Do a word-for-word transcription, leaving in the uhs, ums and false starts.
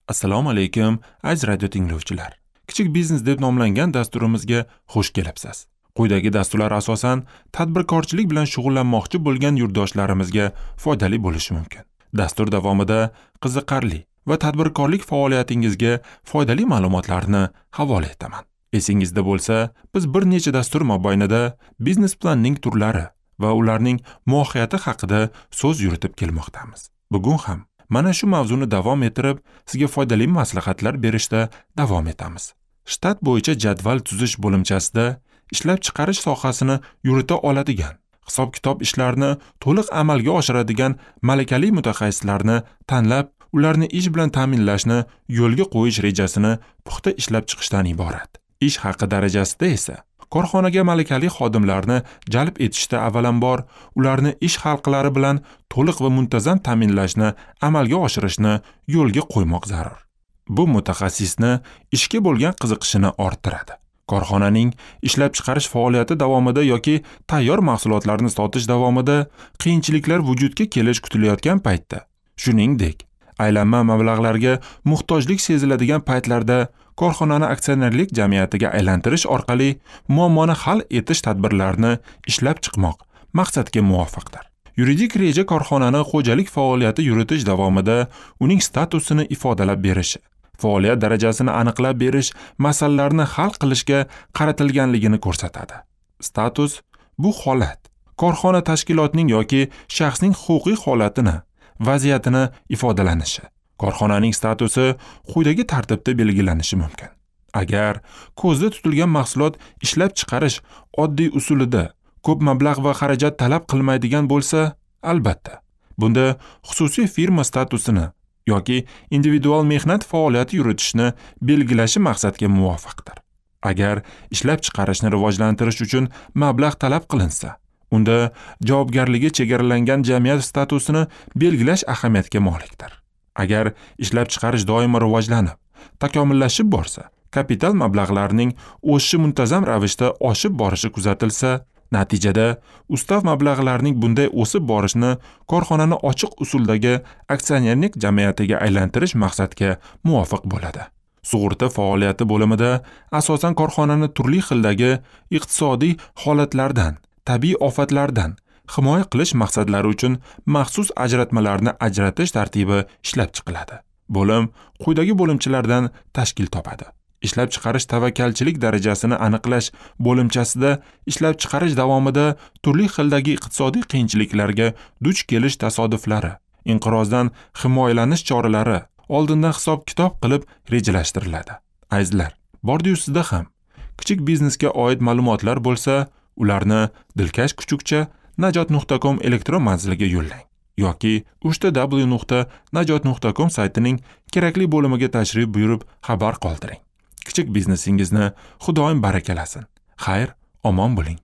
Assalomu alaykum, aziz radio tinglovchilar. Kichik biznes deb nomlangan dasturimizga xush kelibsiz. Quyidagi dasturlar asosan tadbirkorchilik bilan shug'ullanmoqchi bo'lgan yurtdoshlarimizga foydali bo'lishi mumkin. Dastur davomida qiziqarli va tadbirkorlik faoliyatingizga foydali ma'lumotlarni havola etaman. Esingizda bo'lsa, biz bir necha dastur mobaynida biznes planning turlari va ularning mohiyati haqida so'z yuritib kelmoqdamiz. Bugun ham mana shu mavzuni davom ettirib, sizga foydali maslahatlar berishda davom etamiz. Shtat bo'yicha jadval tuzish bo'limchasida ishlab chiqarish sohasini yurita oladigan, hisob-kitob ishlarini to'liq amalga oshiradigan malakali mutaxassislarni tanlab, ularni ish bilan ta'minlashni yo'lga qo'yish rejasini puxta ishlab chiqishdan iborat. Ish haqi darajasida esa korxonaga malakali xodimlarni jalb etishda avvalambor ularni ish halqalari bilan to'liq va muntazam ta'minlashni amalga oshirishni yo'lga qo'ymoq zarur. Bu mutaxassisni ishga bo'lgan qiziqishini orttiradi. Korxonaning ishlab chiqarish faoliyati davomida yoki tayyor mahsulotlarni sotish davomida qiyinchiliklar vujudga kelish kutilayotgan paytda, shuningdek, aylanma mablag'larga muhtojlik seziladigan paytlarda korxonani aksionerlik jamiyatiga aylantirish orqali muammoni hal etish tadbirlarini ishlab chiqmoq maqsadga muvofiqdir. Yuridik reja korxonani xo'jalik faoliyati yuritish davomida uning statusini ifodalab berishi, faoliyat darajasini aniqlab berish masalalarini hal qilishga qaratilganligini ko'rsatadi. Status bu holat, korxona tashkilotining yoki shaxsning huquqiy holatini, vaziyatini ifodalanishi. Korxonaning statusi quyidagi tartibda belgilanishi mumkin. Agar ko'zda tutilgan mahsulot ishlab chiqarish oddiy usulida ko'p mablag' va xarajat talab qilmaydigan bo'lsa, albatta, bunda xususiy firma statusini yoki individual mehnat faoliyati yuritishni belgilashi maqsadga muvofiqdir. Agar ishlab chiqarishni rivojlantirish uchun mablag' talab qilinsa, unda javobgarligi chegaralangan jamiyat statusini belgilash ahamiyatga molikdir. Agar ishlab chiqarish doimo rivojlanib, takomillashib borsa, kapital mablag'larining o'sishi muntazam ravishda oshib borishi kuzatilsa, natijada ustav mablag'larining bunday o'sib borishini korxonani ochiq usuldagi aksionerlik jamiyatiga aylantirish maqsadga muvofiq bo'ladi. Sug'urta faoliyati bo'limida asosan korxonani turli xildagi iqtisodiy holatlardan, tabiiy ofatlardan himoya qilish maqsadlari uchun maxsus ajratmalarni ajratish tartibi ishlab chiqiladi. Bo'lim quyidagi bo'limchalardan tashkil topadi. Ishlab chiqarish tavakkalchilik darajasini aniqlash bo'limchasida ishlab chiqarish davomida turli xildagi iqtisodiy qiyinchiliklarga duch kelish tasodiflari, inqirozdan himoyalanish choralari oldindan hisob-kitob qilib rejalashtiriladi. Azizlar, bordi-yu sizda ham kichik biznesga oid ma'lumotlar bo'lsa, ularni dilkash kuchukcha najot nuqta com elektron manziliga yo'llang yoki uchta w nuqta najot nuqta com saytining kerakli bo'limiga tashrif buyurib xabar qoldiring. Kichik biznesingizni Xudoyim barakalasin. Xayr, omon bo'ling.